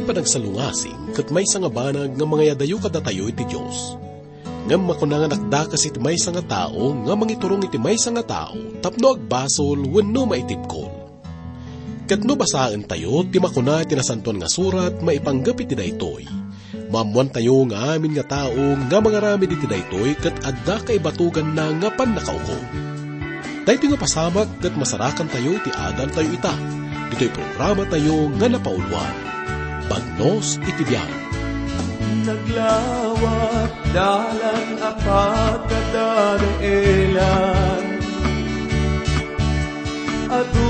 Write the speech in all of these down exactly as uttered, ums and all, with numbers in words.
Panagsalungasing ket maysa nga banag nga mangayadayo kadatayo iti Dios. Ngem makuna nga nakdakes iti maysa nga tao nga mangiturong iti maysa nga tao tapno agbasol wenno maitibkol. Ket no basaentayo ti makuna iti Nasantoan nga Surat maipanggep iti daytoy, maammoantayo nga amin nga tao nga mangaramid iti daytoy ket adda kaibatuganna nga pannakaukom. Daytoy nga pasamak ket masarakantayo iti adaltayo ita, ditoy programatayo nga napauluan, Bagnos iti Biag. Naglawat dalan a pagkadadaelan, adu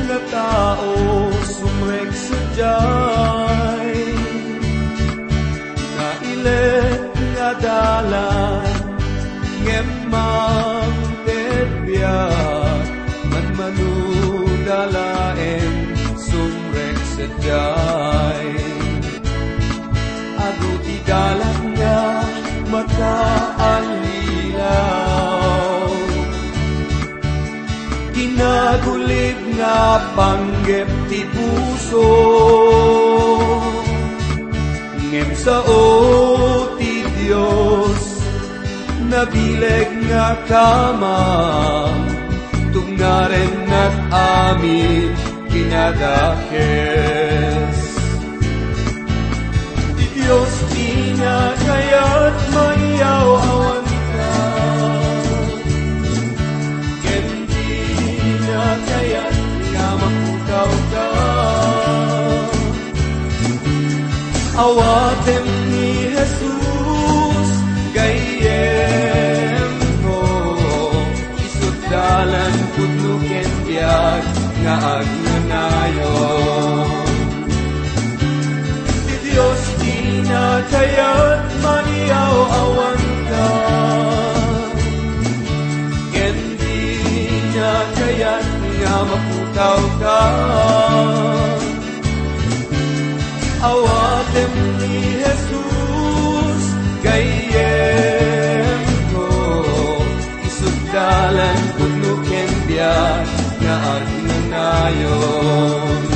nga tao sumrek sadiay. Nailet nga dalan, ngem mangted biag, manmanuda laeng sumrek sadiay. Adu ti dalan nga makaallilaw, kinagulib nga panggep ti puso. Ngem sao ti Dios, nabileg nga kamam, tungnarennak amin kinadakes. Ti Dios ti nakayat, maiyaw-awanka. Ken dina kayat nga mapukawka. Awatem ni Jesus, gayyemko, isu't dalan, pudno ken biag nga agnanayon. Ti Dios dina kayat, maiyaw-awanka. Ken dina kayat nga mapukawka. Awatem ni Jesus, gayyemko, isu't dalan, pudno ken biag nga agnanayon.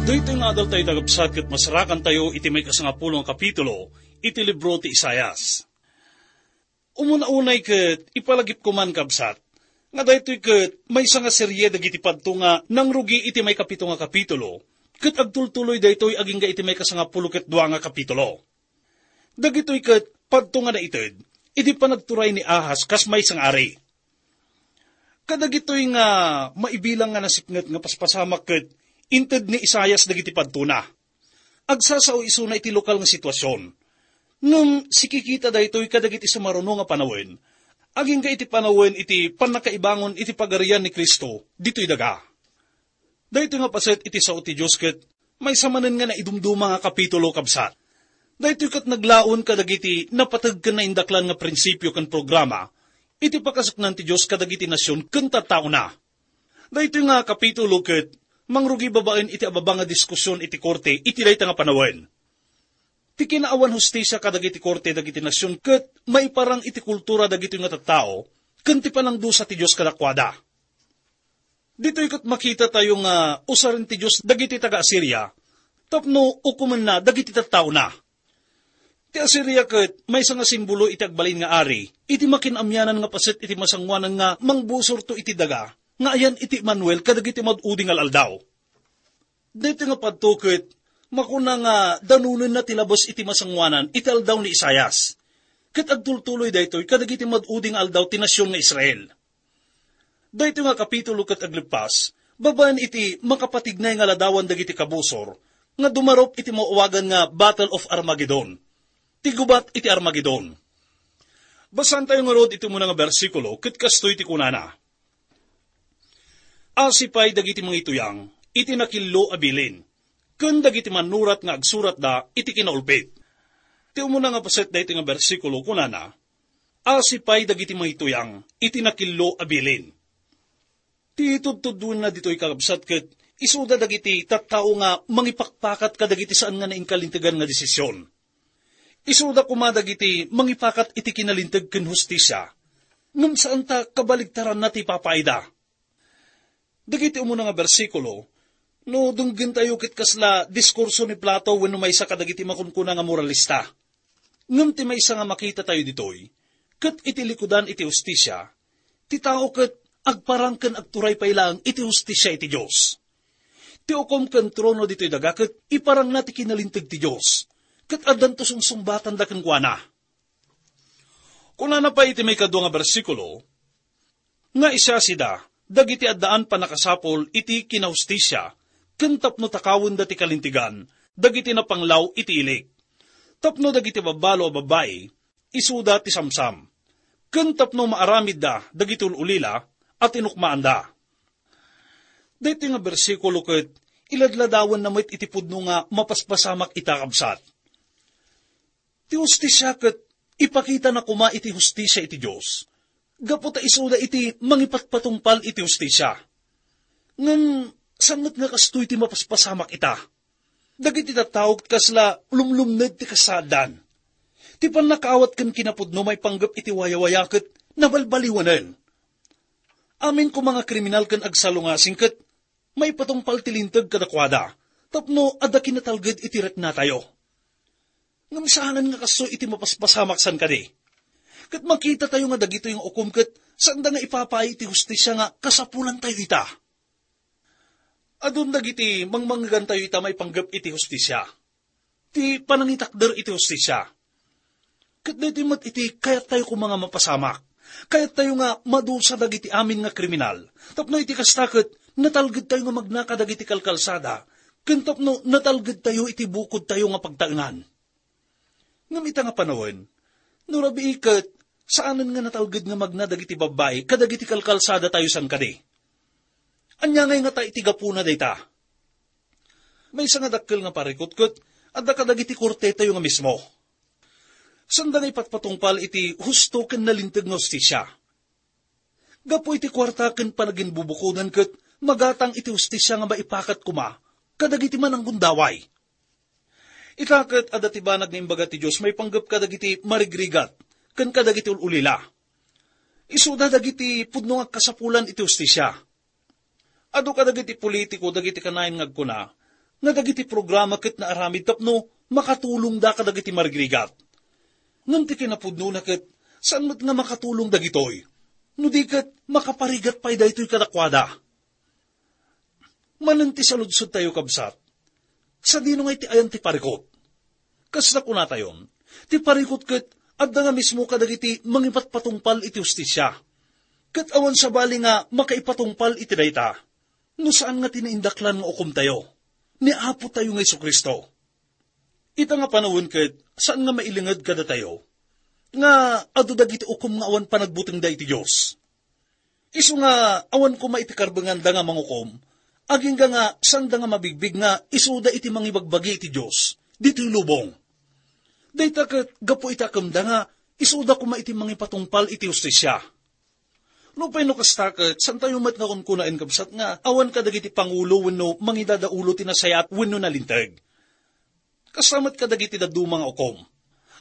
Daytoy nga adaltayo, kakabsat, ket masarakantayo iti maikasangapulo nga kapitulo iti libro ti Isaias. Umuna unay ket ipalagipko man, kabsat, nga daytoy ket maysa nga serie dagiti padto nga nangrugi iti maikapito nga kapitulo, ket agtultuloy daytoy agingga iti maikasangapulo ket dua nga kapitulo. Dagitoy ket padto nga naited idi panagturay ni Ahaz kas maysa nga ari. Kadagitoy nga maibilang nga nasipnget nga paspasamak ket inted ni Isaias dagiti padtona. Agsasao isuna iti lokal nga situasion. Ngem sikikita daytoy kadagiti sumaruno nga panawen, agingga iti panawen iti pannakaibangon iti Pagarian ni Cristo ditoy daga. Daytoy nga paset iti sao ti Dios ket maysa manen nga naidumduma nga kapitulo, kabsat. Daytoy ket naglaon kadagiti napateg ken naindaklan nga prinsipio ken programa iti pakasuknan ti Dios kadagiti nasion ken tattaona. Daytoy nga kapitulo ket mangrugi babaen iti ababa nga diskusion iti korte iti dayta nga panawen. Ti kinaawan hustisia kadagiti korte dagiti nasion ket maiparang iti kultura dagitoy nga tattao ken ti panangdusa ti Dios kadakuada. Ditoy ket makitatayo nga usaren ti Dios dagiti taga-Asiria tapno ukomenna dagiti tattaona. Ti Asiria ket maysa nga simbolo iti agbalin nga ari iti makin-amyanan nga paset iti masangoanan nga mangbusorto iti daga nga ayan iti Emmanuel kadagiti mad-udi nga al-aldaw. Daytoy nga padto ket makuna nga danonenna ti labes iti masangoanan iti aldaw ni Isaias, ket agtultuloy daytoy kadagiti mad-udi nga aldaw ti nasion nga Israel. Daytoy nga kapitulo ket agleppas, Babaen iti makapatignay nga ladawan dagiti kabusor nga dumarup iti maawagan nga Battle of Armageddon, ti gubat iti Armageddon. Basaentayo ngarud iti umuna nga bersikulo ket kastoy ti kunana, "Asi pay dagiti mangituyang iti nakillo a bilin, ken dagiti mannurat nga agsuratda iti kinaulpit." Ti umuna nga paset daytoy nga bersikulo kunana, "Asi pay dagiti mangituyang iti nakillo a bilin." Ti tudtudona ditoy, kakabsat, ket isuda dagiti tattao nga mangipakpakat kadagiti saan nga nainkalintegan nga desisyon. Isuda koma dagiti mangipakat iti kinalinteg ken hustisia, ngem saan ta kabaligtaranna ti ipapaayda. Dagiti umuna nga bersikulo, no denggentayo ket kasla diskurso ni Plato wenno maysa kadagiti makunkuna nga moralista. Ngem ti maysa nga makitatayo ditoy, ket iti likudan iti hustisia, ti tao ket agparang ken agturay pay laeng iti hustisia iti Dios. Ti ukom ken trono ditoy daga ket iparangna ti kinalinteg ti Dios, ket addanto sungsungbatanda kenkuana. Kunana pay iti maikadua nga bersikulo, nga isiasida dagiti addaan pannakasapul iti kinahustisia, ken tapno takawenda ti kalintegan dagiti napanglaw iti ilik, tapno dagiti babbalo a babbai, isuda ti samsam, ken tapno maaramidda dagiti ul-ulila a tinukmaanda. Daytoy nga bersikulo ket iladladawanna met iti pudno nga mapaspasamak ita, kabsat. Ti hustisia ket ipakitana koma iti hustisia iti Dios, gapu ta isuda iti mangipatpatungpal iti hustisia. Ngem saan met nga kastoy ti mapaspasamak ita? Dagiti tattao ket kasla lumlumned ti kasaaddan. Ti pannakaawat ken kinapudno maipanggep iti wayawaya ket nabalbaliwanen. Amin koma nga kriminal ken agsalungasing ket maipatungpal ti linteg kadakuada tapno adda kinatalged iti riknatayo. Ngem saanen nga kastoy iti mapaspasamak san kadi. Ket makitatayo nga dagitoy nga ukom ket saanda nga ipapaay iti hustisia nga kasapulantayo ita. Adun dagiti mangmangegantayo ita maipanggep iti hustisia, ti panangitakder iti hustisia. Ket daytoy met iti kayattayo koma nga mapasamak. Kayattayo nga madusa dagiti amin nga kriminal. Tapno iti kasta ket natalgedtayo nga magna kadagiti kalkalsada, ken tapno natalgedtayo iti bukodtayo nga pagtaengan. Ngem ita nga panawen, no rabii ket saanen nga natalged nga magna dagiti babbai kadagiti kalkalsadatayo san kadi. Ania ngay ngata iti gapuna dayta? Maysa nga dakkel nga parikut ket adda kadagiti kortetayo nga mismo. Saanda nga ipatpatungpal iti husto ken nalinteg nga hustisia. Gapu iti kuarta ken panaginbubukodan ket magatang iti hustisia nga maipakat koma kadagiti mananggundaway. Ita ket adda ti banag nga imbaga ti Dios maipanggep kadagiti marigrigat ken kadagiti ul-ulila. Isuda dagiti pudno nga agkasapulan iti hustisia. Adu kadagiti politiko dagiti kanayon nga agkuna nga dagiti programa ket naaramid tapno makatulongda kadagiti marigrigat. Ngem ti kinapudnona ket saan met nga makatulong dagitoy, no di ket makaparigat pay daytoy kadakuada. Manen ti saludsodtayo, kabsat, sadino nga iti ayan ti parikut? Kas nakunatayon, ti parikut ket adda nga mismo kadagiti mangipatpatungpal iti hustisia. Ket awan sabali nga makaipatungpal iti dayta, no saan nga ti naindaklan nga ukomtayo, ni Apotayo nga Jesu-Cristo. Ita nga panawen ket saan nga mailinged kadatayo nga adu dagiti ukom nga awan panagbutengda iti Dios. Isu nga awan koma iti karbenganda nga mangukom, agingga nga saanda nga mabigbig nga isuda iti mangibagbagi iti Dios ditoy lubong. Dayta ket gapu iti akemda nga isuda koma iti mangipatungpal iti hustisia. Nupay no kasta ket, saantayo met nga kunkunaen, kabsat, nga awan kadagiti pangulo wenno mangidadaulo ti nasayaat wenno nalinteg. Kasta met kadagiti dadduma nga ukom.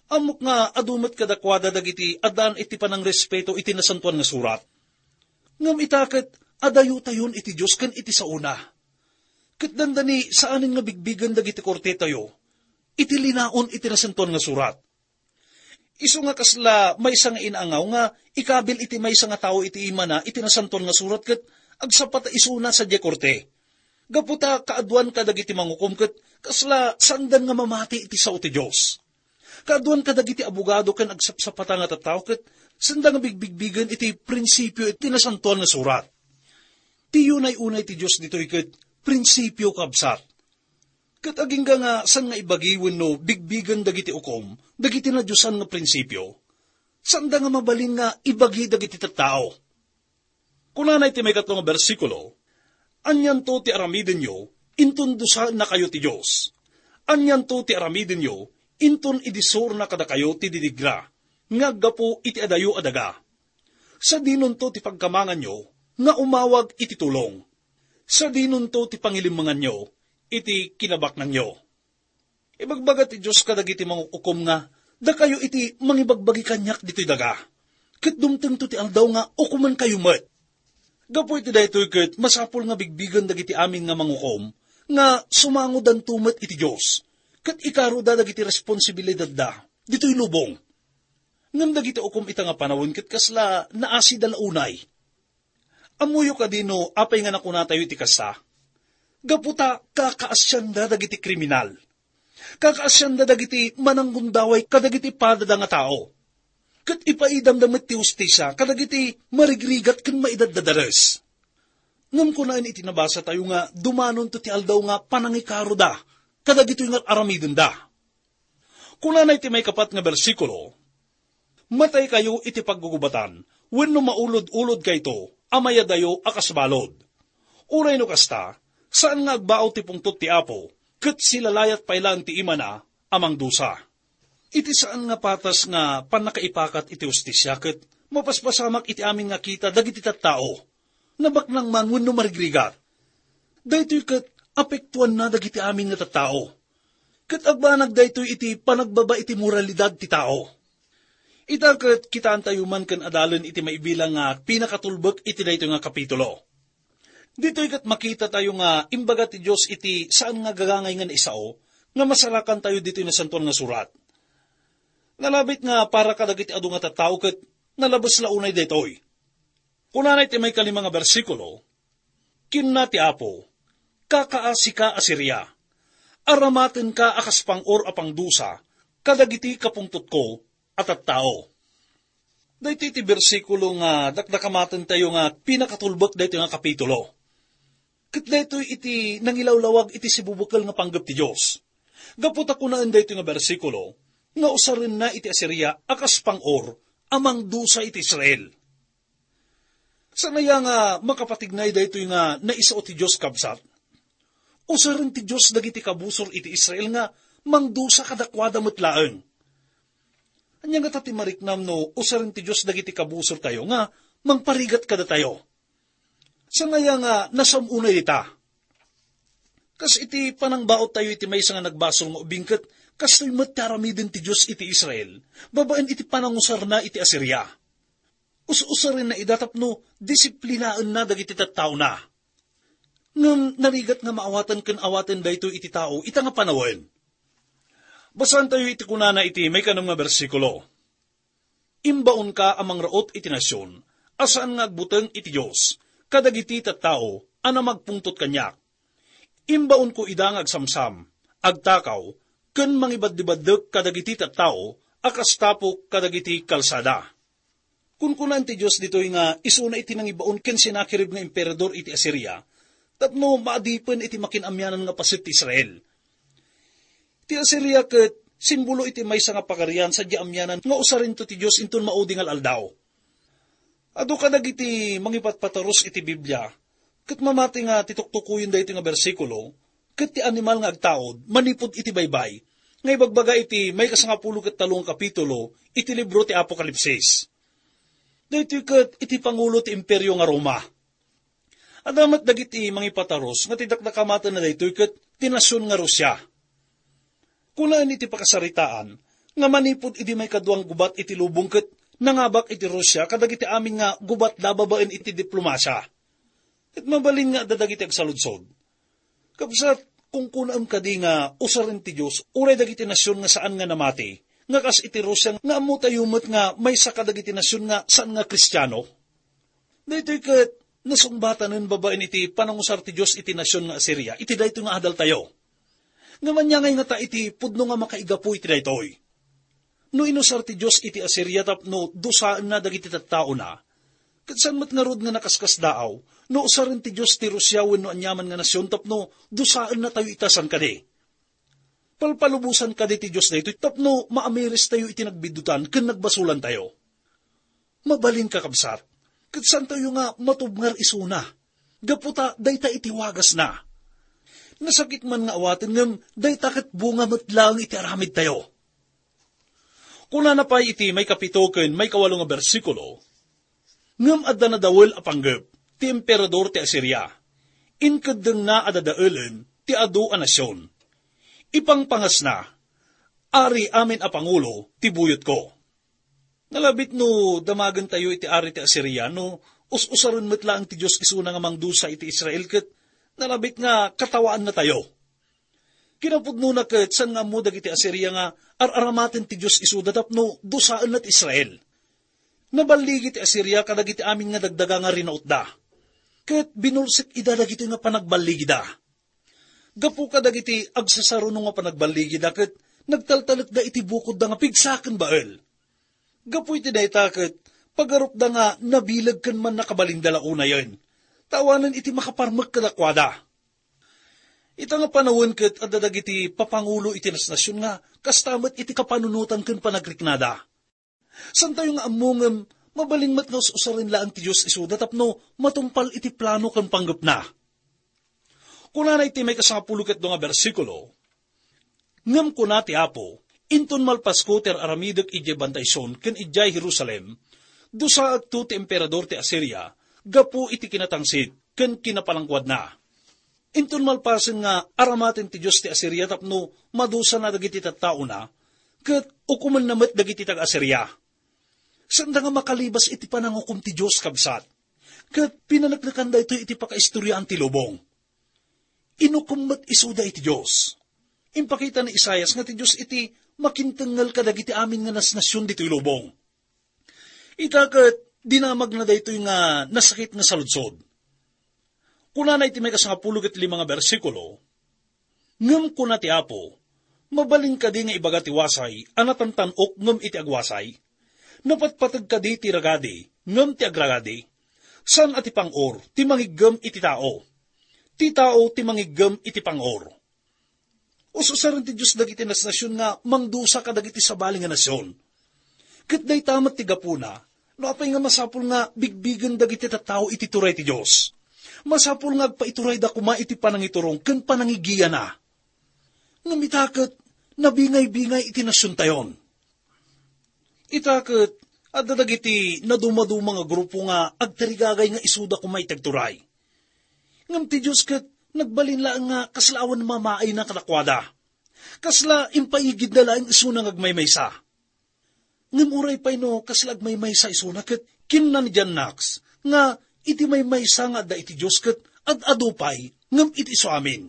Ammok nga adu met kadakuada dagiti addaan iti panangrespeto iti Nasantoan nga Surat. Ngem ita ket adayotayon iti Dios ken iti saona. Ket dandani saanen nga bigbigen dagiti kortetayo iti linaon iti Nasantoan nga Surat. Isu nga kasla maysa nga inaangaw nga ikabil iti maysa nga tao iti imana iti Nasantoan nga Surat ket agsapata isuna sadiay korte. Gapu ta kaaduan kadagiti mangukom ket kasla saandan nga mamati iti sao ti Dios. Kaaduan kadagiti abogado ken agsapsapata nga tattao ket saanda nga bigbigbigen iti prinsipio iti Nasantoan nga Surat. Ti unay-unay ti Dios ditoy ket prinsipio, kabsat. Ket agingga nga saan nga ibagi wenno bigbigen dagiti ukom dagiti nadiosan nga prinsipio, saanda nga mabalin nga ibagi dagiti tattao. Kunana iti maikatlo nga bersikulo, "Anianto ti aramidenyo, inton dusaennakayo ti Dios? Anianto ti aramidenyo, inton idisurna kadakayo ti didigra nga aggapu iti adayo a daga? Sadinonto ti pagkamanganyo nga umawag iti tulong? Sadinonto ti pangilimmenganyo iti kinabaknangyo?" Ibagbaga ti Dios kadagiti mangukukom nga, "Dakayo iti mangibagbagi kaniak ditoy daga, ket dumtengto ti aldaw nga ukomenkayo met." Gapu iti daytoy ket masapul nga bigbigen dagiti amin nga mangukom nga sumangodanto met iti Dios, ket ikaroda dagiti responsibilidadda ditoy lubong. Ngem dagiti ukom ita nga panawen ket kasla naasida la unay. Ammoyo kadi no apay nga nakunatayo iti kasta? Gapu ta kakaasianda dagiti kriminal. Kakaasianda dagiti mananggundaway kadagiti padada nga tao. Ket ipaidamda met ti hustisia kadagiti marigrigat ken maidaddadares. Ngem kunaen iti nabasatayo nga dumanonto ti aldaw nga panangikaroda kadagitoy nga aramidenda. Kunana iti maikapat nga bersikulo, "Mataykayo iti paggugubatan wenno maulod-ulodkayto a mayadayo a kas balud. Uray no kasta, saan nga agbaut ti pungtot ti Apo, ket silalayat pay laeng ti imana a mangdusa." Iti saan nga patas nga pannakaipakat iti hustisia ket mapaspasamak iti amin nga kita dagiti tattao, nabaknang man wenno marigrigat. Daytoy ket apektuanna dagiti amin nga tattao. Ket agbanag daytoy iti panagbaba iti moralidad ti tao. Ita ket kitaentayo man ken adalen iti maibilang nga pinakatulbek iti daytoy nga kapitulo. Ditoy ket makitatayo nga imbaga ti Dios iti saan nga gagangay nga naisao nga masarakantayo ditoy Nasantoan nga Surat. Nalabit nga para kadagiti adu nga tattao ket nalabes la unay daytoy. Kunana iti maikalima nga bersikulo, "Kinuna ti Apo, 'Kakaasika a Siria, aramatenka a kas pang-or a pangdusa kadagiti kapungtotko a tattao.'" Daytoy ti bersikulo nga dakdakamatentayo nga pinakatulbek daytoy nga kapitulo. Ket daytoy iti nangilawlawag iti sibubukel nga panggep ti Dios. Gapu ta kunaen daytoy nga bersikulo nga usarenna iti Asiria a kas pang-or a mangdusa iti Israel. Saan aya nga makapatignay daytoy nga naisao ti Dios, kabsat? Usaren ti Dios dagiti kabusor iti Israel nga mangdusa kadakuada met laeng. Ania ngata ti mariknam no usaren ti Dios dagiti kabusortayo nga mangparigat kadatayo? Saan aya nga nasam unay dita? Kas iti panangbaottayo iti maysa nga nagbasol nga ubing ket kastoy met ti aramiden ti Dios iti Israel babaen iti panangusarna iti Asiria. Us-usarenna ida tapno disiplinaenna dagiti tattaona. Ngem narigat nga maawaten ken awaten daytoy iti tao ita nga panawen. Basaentayo iti kunana iti maikanem nga bersikulo, "Imbaonka a mangraut iti nasion a saan nga agbuteng iti Dios kadagiti tattao a namagpungtot kaniak. Imbaonko ida nga agsamsam, agtakaw, ken mangibaddibaddek kadagiti tattao a kas tapok kadagiti kalsada." Kunkunaan ti Dios ditoy nga isuna iti nangibaon ken Sennacherib nga emperador iti Asiria tapno maadipen iti makin-amianan nga paset ti Israel. Ti Asiria ket simbolo iti maysa nga pagarian sadiay amianan nga usarento ti Dios inton maudi nga al-aldaw. Adu kadagiti mangipatpatarus iti Biblia ket mamati nga ti tuktukoyen daytoy nga bersikulo ket ti animal nga agtaud manipud iti baybay nga ibagbaga iti maikasangapulo ket tallo nga kapitulo iti libro ti Apokalipsis. Daytoy ket iti pangulo ti Imperio nga Roma. Adda met dagiti mangipatarus nga ti dakdakamatenna daytoy ket ti nasion nga Rusia. Kunaen iti pakasaritaan nga manipud idi maikadua nga gubat iti lubong ket nangabak iti Rusia kadagiti amin nga gubatda babaen iti diplomasia. Ket mabalin nga adda dagiti agsaludsod. Kabsat, kunkunaem kadi nga usaren ti Dios uray dagiti nasion nga saan nga namati, nga kas iti Rusia nga ammotayo met nga maysa kadagiti nasion nga saan nga Kristiano? Daytoy ket nasungbatanen babaen iti panangusar ti Dios iti nasion nga Asiria iti daytoy nga adaltayo. Ngem ania ngay ngata iti pudno nga makaigapu iti daytoy? No inusar ti Dios iti Asiria tapno dusaenna dagiti tattaona, Ket saan met ngarud nga nakaskasdaaw no usaren ti Dios ti Rusia wenno aniaman nga nasion tapno dusaennatayo ita, saan kadi? Palpalubosan kadi ti Dios daytoy tapno maamiristayo iti nagbiddutan ken nagbasolantayo? Mabalin, kakabsat, ket saantayo nga matubngar isuna, gapu ta dayta iti wagasna. Nasakit man nga awaten, ngem dayta ket bunga met laeng iti aramidtayo. Kunana pay iti maikapito ken maikawalo nga bersikulo, "Ngem adda nadawel a panggep ti emperador ti Asiria. Inkeddengna a dadaelen ti adu a nasion. Ipangpangasna, 'Ari amin a pangulo ti buyotko.'" Nalabit no damagentayo iti ari ti Asiria no us-usaren met laeng ti Dios isuna nga mangdusa iti Israel ket nalabit nga katawaannatayo. Kinapudnona ket saan nga ammo dagiti Asiria nga ar-aramaten ti Dios isuda tapno dusaenna ti Israel. Naballigi ti Asiria kadagiti amin nga dagdaga nga rinautda, ket binulsek ida dagitoy nga panagballigida. Gapu kadagiti agsasaruno nga panagballigida ket nagtaltalekda iti bukodda nga pigsa ken Baal. Gapu iti dayta ket pagarupda nga nabileg ken mannakabalinda la unayen, ta awanen iti makaparmek kadakuada. Ita nga panawen ket adda dagiti papangulo iti nasnasion nga kasta met iti kapanunotan ken panagriknada. Saantayo nga ammo ngem mabalin met nga us-usaren laeng ti Dios isuda tapno matungpal iti plano ken panggepna. Kunana iti maikasangapulo ket dua nga bersikulo, "Ngem kuna ti Apo, inton malpasko ti ar-aramidek idiay Bantay Sion ken idiay Jerusalem, dusaekto ti emperador ti Asiria gapu iti kinatangsit ken kinapalangkuadna. Inton malpasen nga aramaten ti Dios ti Asiria tapno madusana dagiti tattaona, ket ukomenna met dagiti taga-Asiria." Saanda nga makalibas iti panangukom ti Dios, kabsat. Ket pinaneknekan daytoy iti pakaistoriaan ti lubong. Inukom met isuda iti Dios. Impakita ni Isaias nga ti Dios iti makintengngel kadagiti amin nga nasnasion ditoy lubong. Ita ket dinamagna daytoy nga nasakit nga saludsod. Kunana iti maikasangapulo ket lima nga bersikulo, "Ngem kuna ti Apo, mabalin kadi nga ibaga ti wasay a natantan-ok ngem iti agwasay? Napatpateg kadi ti ragadi ngem ti agragadi? Saan a ti pang-or ti mangiggem iti tao. Ti tao ti mangiggem iti pang-or." Us-usaren ti Dios dagiti nasnasion nga mangdusa kadagiti sabali nga nasion. Ket dayta met ti gapuna, no apay nga masapul nga bigbigen dagiti tattao iti turay ti Dios. Masapul nga agpaiturayda koma iti panangiturong ken panangigiyana. Ngem ita ket nabingay-bingay iti nasiontayon. Ita ket adda dagiti nadumaduma nga grupo nga agtarigagay nga isuda koma iti agturay. Ngem ti Dios ket nagbalin laeng nga kasla awan mamaayna kadakuada. Kasla impaigidna laeng isuna nga agmaymaysa. Ngem uray pay no kasla agmaymaysa isuna, ket kinuna ni John Knox nga iti maymaysa nga adda iti Dios ket ad-adu pay ngem iti isu amin.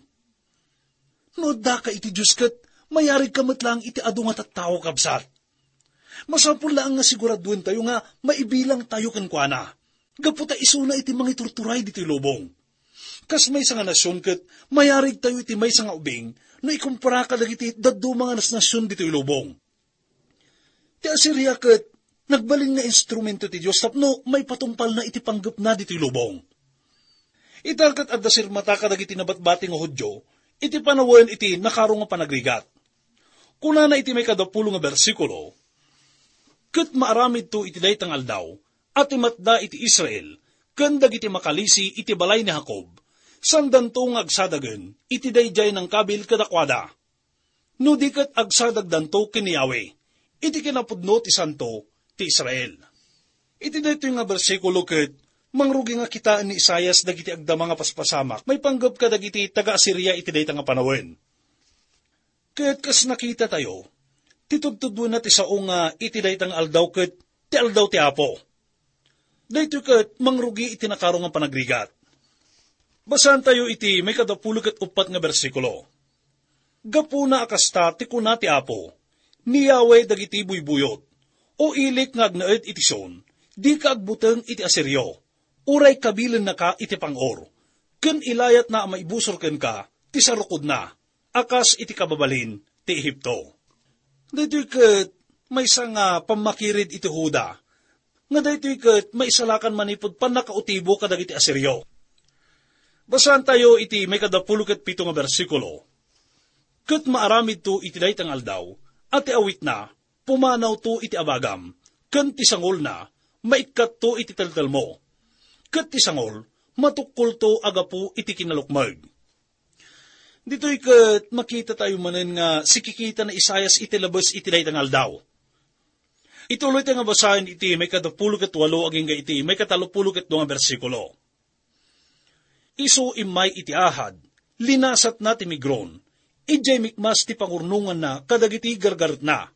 No addaka iti Dios ket mayarigka met laeng iti adu nga tattao, kabsat. Masapul laeng nga siguraduentayo nga maibilangtayo kenkuana, gapu ta isuna iti mangiturturay ditoy lubong. Kas maysa nga nasion ket mayarigtayo iti maysa nga ubing no ikumpara kadagiti dadduma nga nasnasion ditoy lubong. Ti Asiria ket nagbalin nga instrumento ti Dios tapno maipatungpalna iti panggepna ditoy lubong. Ita ket adda sirmata kadagiti nabatbati nga Judio iti panawen iti nakaro nga panagrigat. Kunana iti maikadapulo nga bersikulo, "Ket maaramidto iti dayta nga aldaw a timatda iti Israel ken dagiti makalisi iti balay ni Jacob, saandanto nga agsadagen iti daydiay nangkabil kadakuada, no di ket agsadagdanto ken ni Yahweh iti kinapudno ti Santo ti Israel." Iti daytoy nga bersikulo ket mangrugi nga kitaen ni Isaias dagiti agdama nga paspasamak maipanggep kadagiti taga-Asiria iti dayta nga panawen. Ket kas nakitatayo, ti tudtuduenna ti sao nga iti dayta nga aldaw ket ti Aldaw ti Apo. Daytoy ket mangrugi iti nakaro nga panagrigat. Basaantayo iti maikadapulo ket uppat nga bersikulo. "Gapuna a kasta ti kuna ti Apo, ni Yahweh dagiti buybuyot, O ilik nga agnaed iti Sion, dika agbuteng iti Asirio, uray kabilennaka iti pang-or, ken ilayatna a maibusor kenka ti sarukodna, a kas iti kababalin ti Egipto." Daytoy ket maysa nga pammakirid iti Juda. nga daytoy ket maisalakan manipud pannakautibo kadagiti Asirio. Basaentayo iti maikadapulo ket pito nga bersikulo. Ket maaramidto iti dayta nga aldaw, a ti awitna, pumanawto iti abagam, ken ti sangolna, maikkatto iti teltelmo. Ket ti sangol, matukkolto a gapu iti kinalukmeg. Ditoy ket makitatayo manen nga sikikita ni Isaias iti labes iti dayta nga aldaw. Ituloytayo nga basaen iti maikadapulo ket walo agingga iti maikatallopulo ket dua nga bersikulo. Isu immay iti ahad, linasatna ti Migron, idiay Mikmas ti pangurnonganna kadagiti gargaretna.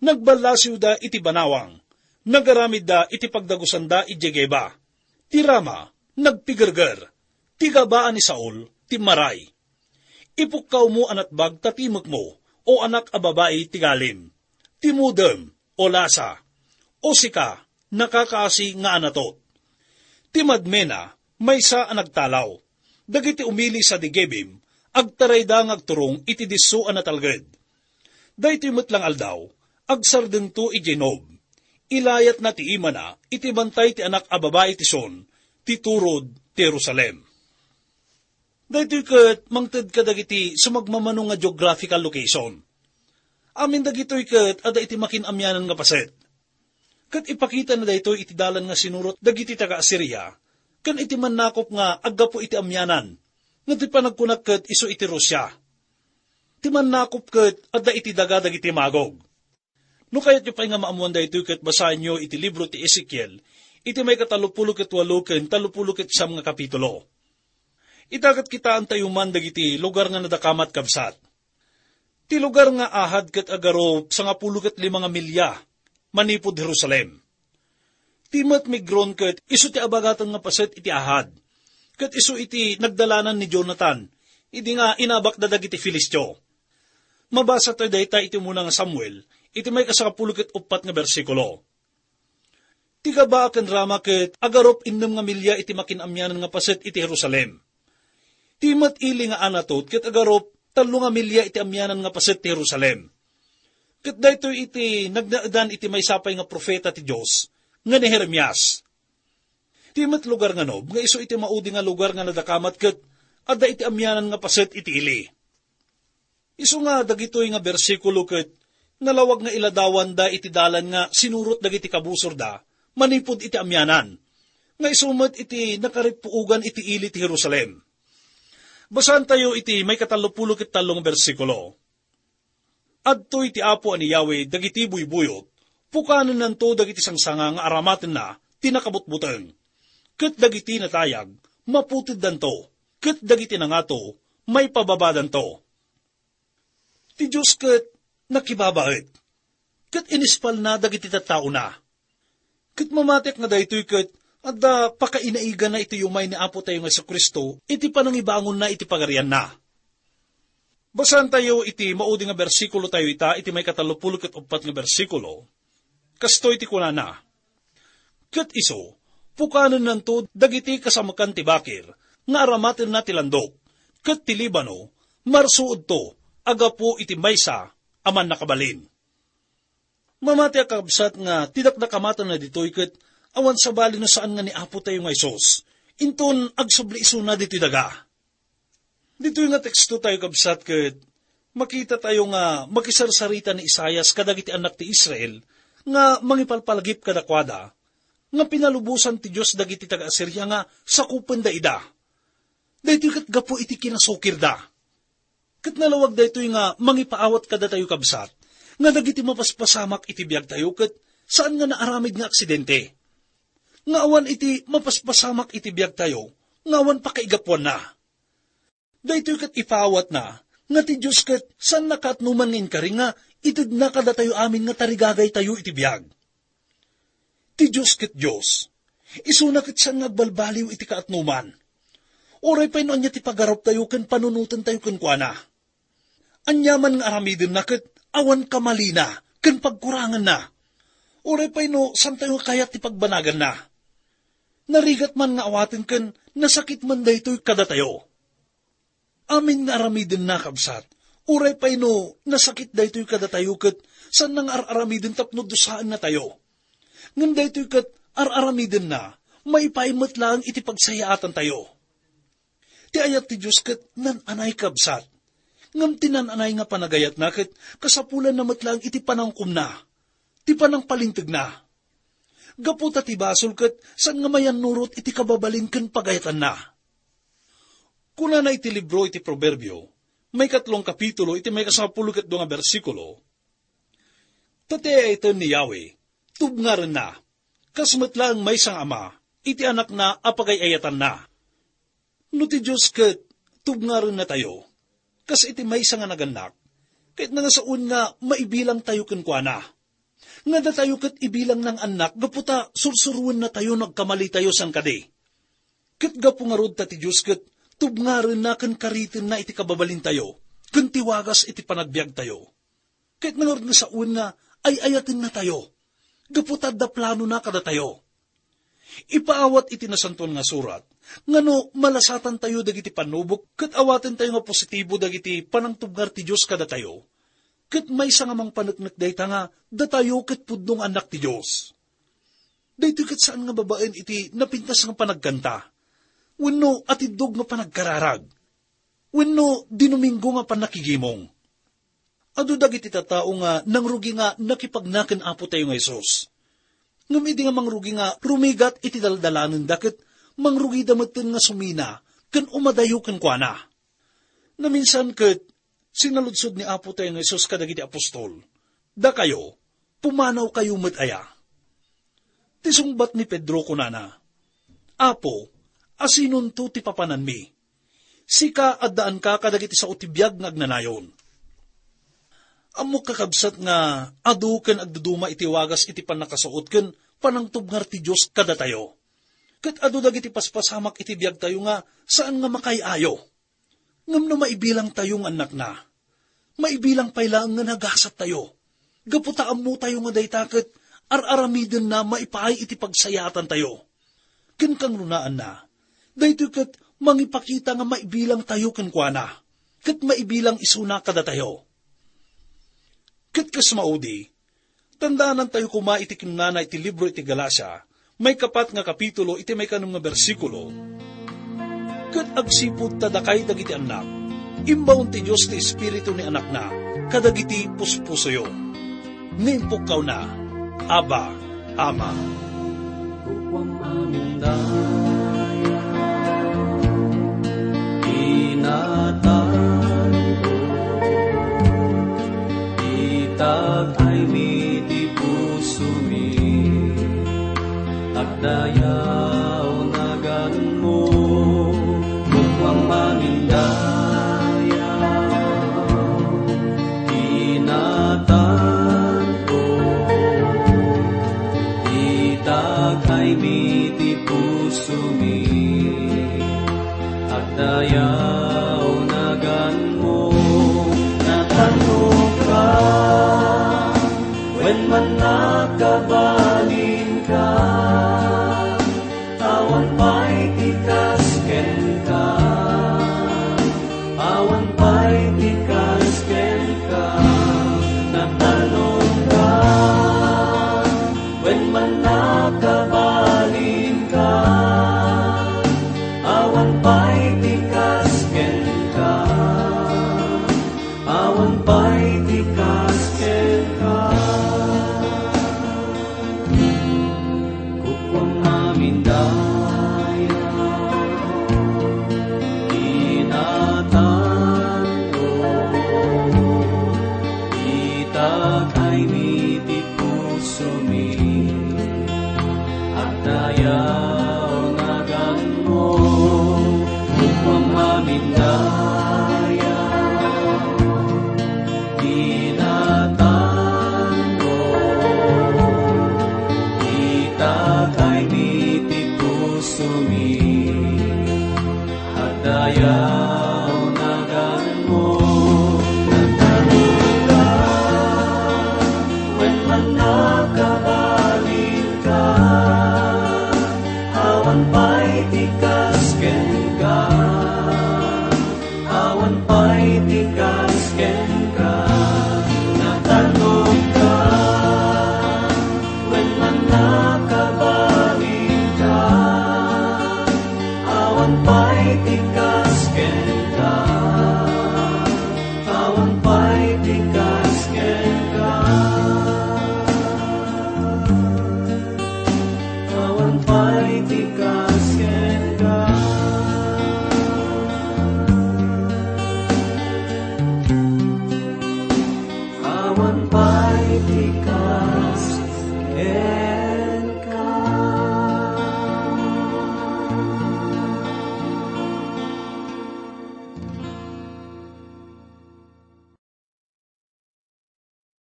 Nagballasiwda iti banawang, nagaramidda iti pagdagusanda idiay Geba. Ti Rama, nagpigerger, ti Gabaa ni Saul, timmaray. Ipukkawmo a natbag ta timekmo, O anak a babai ti Galim. Timudem, O Lasa, O sika, nakakaasi nga Anatot. Ti Madmena, maysa a nagtalaw. Dagiti umili sadi Gebim, agtarayda nga agturong iti disso a natalged. Daytoy met la nga aldaw, agsardengto idiay Nob. Ilayatna ti imana iti bantay ti anak a babai ti Sion, ti turod ti Jerusalem. Daytoy ket mangted kadagiti sumagmamano nga geographical location. Amin dagitoy ket adda iti makin-amianan nga paset. Ket ipakitana daytoy iti dalan nga sinurot dagiti taga-Asiria, ken iti mannakop nga aggapu iti amianan, nga ti panagkunak ket isu iti Rusia. Ti mannakop ket adda iti daga dagiti Magog. No kayatyo pay nga maammuan daytoy, ket basaenyo iti libro ti Ezekiel, iti maikatallopulo ket walo ken tallopulo ket siam nga kapitulo. Ita ket kitaentayo man dagiti lugar nga nadakamat, kabsat. Ti lugar nga ahad ket agarup sangapulo ket lima nga milya manipud Jerusalem. Ti met Migron ket isu ti abagatan nga paset iti ahad, ket isu iti nagdalanan ni Jonathan idi nga inabakda dagiti Filistio. Mabasatayo dayta iti umuna nga Samuel, iti maikasangapulo ket uppat nga bersikulo. Ti Gabaa ken Rama ket agarup innem nga milya iti makin-amianan nga paset iti Jerusalem. Ti met ili nga Anatot ket agarup tallo nga milya iti amianan nga paset ti Jerusalem. Ket daytoy iti nagnaedan iti maysa pay nga profeta ti Dios nga ni Jeremias. Ti met lugar nga Nob nga isu iti maudi nga lugar nga nadakamat ket adda iti amianan nga paset iti ili. Isu nga dagitoy nga bersikulo ket nalawag nga iladawanda iti dalan nga sinurot dagiti kabusorda manipud iti amianan, nga isu met iti nakaripuogan iti ili ti Jerusalem. Basaentayo iti maikatallopulo ket tallo nga bersikulo. Adtoy ti Apo a ni Yahweh dagiti buybuyot, pukanennanto dagiti sangsanga nga aramatenna ti nakabutbuteng, ket dagiti natayag, maputeddanto, ket dagiti nangato, maipababadanto. Ti Dios ket nakibabaet, ket inispalna dagiti tattaona. Ket mamatiak nga daytoy ket adda pakainaigana iti umay ni Apotayo nga Jesu-Cristo iti panangibangonna iti pagarianna. Basaentayo iti maudi nga bersikulo tayo ita iti maikatallopulo ket uppat nga bersikulo. Kastoy ti kunana, "Ket isu, pukanennanto dagiti kasamekan ti bakir nga aramatenna ti landok, ket ti Libano, marsuodto a gapu iti maysa a mannakabalin." Mamati a kakabsat nga ti dakdakamatenna ditoy ket awan sabali no saan nga ni Apotayo nga Jesus inton agsubli isuna ditoy daga. Ditoy nga teksto tayo, kabsat, ket makita tayo nga makisarsarita ni Isaias kadagiti annak ti Israel nga mangipalpalagip kadakuada nga pinalubosan ti Dios dagiti taga-Asiria nga sakupenda ida. Daytoy ket gapu iti kinasukirda. Ket nalawag daytoy nga mangipaawat kadatayo, kabsat, nga dagiti mapaspasamak iti biagtayo ket saan nga naaramid nga aksidente. Nga awan iti mapaspasamak iti biagtayo nga awan pakaigapuanna. Daytoy ket ipaawatna nga ti Dios ket saanna kaatnoman nga inkari nga itedna kadatayo amin nga tarigagaytayo iti biag. Ti Dios ket Dios. Isuna ket saan nga agbalbaliw iti kaatnoman. Uray pay no ania ti pagaruptayo ken panunotentayo kenkuana. Ania man nga aramidenna ket awan kamalina ken pagkuranganna. Uray pay no saantayo nga kayat ti pagbanaganna. Narigat man nga awaten ken nasakit man daytoy kadatayo. Amin nga aramidenna, kabsat, uray pay no nasakit daytoy kadatayo ket saanna nga ar-aramiden tapno dusaennatayo. Ngem daytoy ket ar-aramidenna, maipaay met laeng iti pagsayaatantayo. Ti ayat ti Dios ket nan-anay, kabsat. Ngem ti nan-anay nga panagayatna ket kasapulanna met laeng iti panangkomna, ti panangpalintegna. Gapu ta ti basol ket saan nga mayannurot iti kababalin ken pagayatanna. Kunana iti libro iti Proverbio, maikatlong kapitulo, iti maikasangapulo ket dua nga bersikulo, "Ta ti ay-ayaten ni Yahweh, tubngarenna, kas met laeng maysa nga ama iti anakna a pagay-ayatanna." No ti Dios ket tubngarennatayo, kas iti maysa nga nagannak, ket nangasaon nga maibilangtayo kenkuana. Nga datayo ket ibilangna nga annak gapu ta sursuruennatayo no agkamalitayo saan kadi. Ket gapu ngarud ta ti Dios ket tubngarenna ken karitenna iti kababalintayo, ken ti wagas iti panagbiagtayo. Ket nangarud nga sawen nga ay-ayatennatayo, gapu ta adda planona kadatayo. Ipaawat iti Nasantoan nga Surat nga no malasatantayo dagiti pannubok ket awatentayo nga positibo dagiti panangtubngar ti Dios kadatayo, ket maysa nga mangpaneknek dayta nga datayo ket pudno nga annak ti Dios. Daytoy ket saan nga babaen iti napintas nga panagkanta wenno atiddog nga panagkararag wenno Dinomingo nga pannakigimong. Adu dagiti tattao nga nangrugi nga nakipagna ken Apotayo nga Jesus. Ngem idi nga mangrugi nga rumigat iti daldalanenda ket mangrugida metten nga sumina ken umadayo kenkuana. Naminsan ket sinaludsod ni Apotayo nga Jesus kadagiti apostol, "Dakayo, pumanawkayo met aya?" Ti sungbat ni Pedro kunana, "Apo, asinonto ti papananmi? Sika, addaanka kadagiti sao ti biag nga agnanayon." Ammok, kakabsat, nga adu ken agduduma iti wagas iti pannakasaot ken panangtubngar ti Dios kadatayo. Ket adu dagiti paspasamak iti biagtayo nga saan nga makaay-ayo. Ngem no maibilangtayo nga annakna, maibilang pay laeng nga nagasattayo, gapu ta ammotayo nga dayta ket ar-aramidenna maipaay iti pagsayaatantayo. Ken kangrunaanna, daytoy ket mangipakita nga maibilangtayo kenkuana, ket maibilang isuna kadatayo. Ket kas maudi, tandaanantayo koma iti kinunana iti libro iti Galacia, maikapat nga kapitulo, iti maikanem nga bersikulo, "Ket agsipud ta dakay dagiti annak, imbaon ti Dios ti Espiritu ni Anakna kadagiti puspusoyo." Nga impukkawna, "Abba, Ama." Kukuam amin daya, inatan ko, itak aymi ti pusomi, agdayaw naganmo, kukuam amin daya, inatan ko, itak aymi ti pusomi, agdayaw naganmo, natanokka, wen mannakabalinka, awan pay ti kas kenka. Awan pay ti kas kenka, natanokka, wen mannakabalinka. Awan pay ti kas kenka, awan pay ti kas kenka. Kukuam amin daya, inatan ko, itak aymi ti pusomi, agdayaw naganmo, kukuam amin daya. Inatan ko, itak aymi ti pusomi, agdayaw naganmo, natanokka, wen mannakabalinka, awan pa